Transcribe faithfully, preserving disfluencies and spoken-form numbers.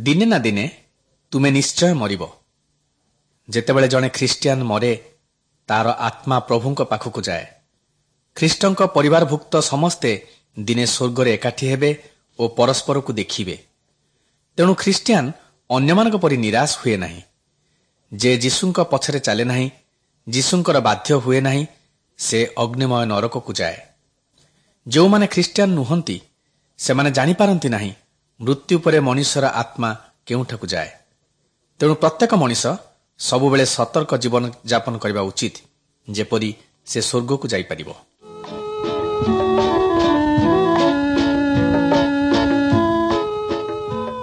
ଦିନେ ନା ଦିନେ ତୁମେ ନିଶ୍ଚୟ ମରିବ। ଯେତେବେଳେ ଜଣେ ଖ୍ରୀଷ୍ଟିଆନ ମରେ, ତାର ଆତ୍ମା ପ୍ରଭୁଙ୍କ ପାଖକୁ ଯାଏ। ଖ୍ରୀଷ୍ଟଙ୍କ ପରିବାରଭୁକ୍ତ ସମସ୍ତେ ଦିନେ ସ୍ୱର୍ଗରେ ଏକାଠି ହେବେ ଓ ପରସ୍ପରକୁ ଦେଖିବେ। ତେଣୁ ଖ୍ରୀଷ୍ଟିଆନ ଅନ୍ୟମାନଙ୍କ ପରି ନିରାଶ ହୁଏ ନାହିଁ। ଯେ ଯୀଶୁଙ୍କ ପଛରେ ଚାଲେ ନାହିଁ, ଯୀଶୁଙ୍କର ବାଧ୍ୟ ହୁଏ ନାହିଁ, ସେ ଅଗ୍ନିମୟ ନରକକୁ ଯାଏ। ଯେଉଁମାନେ ଖ୍ରୀଷ୍ଟିଆନ ନୁହନ୍ତି, ସେମାନେ ଜାଣିପାରନ୍ତି ନାହିଁ ମୃତ୍ୟୁ ପରେ ମଣିଷର ଆତ୍ମା କେଉଁଠାକୁ ଯାଏ। ତେଣୁ ପ୍ରତ୍ୟେକ ମଣିଷ ସବୁବେଳେ ସତର୍କ ଜୀବନ ଯାପନ କରିବା ଉଚିତ, ଯେପରି ସେ ସ୍ୱର୍ଗକୁ ଯାଇପାରିବ।